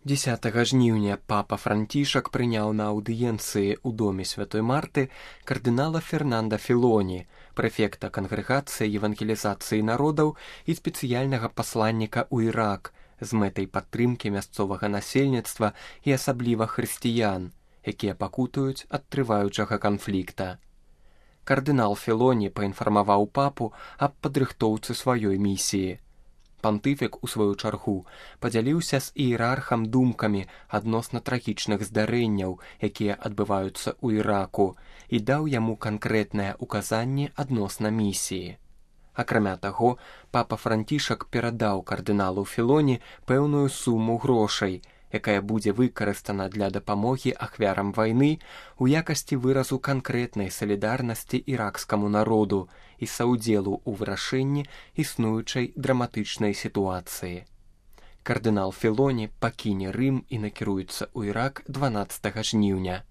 10 жніўня папа Францішак прыняў на аўдыенцыі ў доме святой Марты кардынала Фернанда Філоні, прэфекта кангрэгацыі евангелізацыі народаў і спецыяльнага пасланніка ў Ірак з мэтай падтрымкі мясцовага насельніцтва і асабліва хрысціян, якія пакутуюць ад трываючага канфлікта. Кардынал Філоні паінфармаваў папу аб падрыхтоўцы сваёй місіі. Пантыфік, у сваю чаргу, падзяліўся з іерархам думкамі адносна трагічных здарэнняў, якія адбываюцца ў Іраку, і даў яму канкрэтныя ўказанні адносна місіі. Акрамя таго, папа Францішак перадаў кардыналу Філоні пэўную суму грошай, якая будзе выкарыстана для дапамогі ахвярам вайны у якасці выразу канкрэтнай салідарнасці іракскаму народу і саўдзелу ў вырашэнні існуючай драматычнай сітуацыі. Кардынал Філоні пакіне Рым і накіруецца ў Ірак 12 жніўня.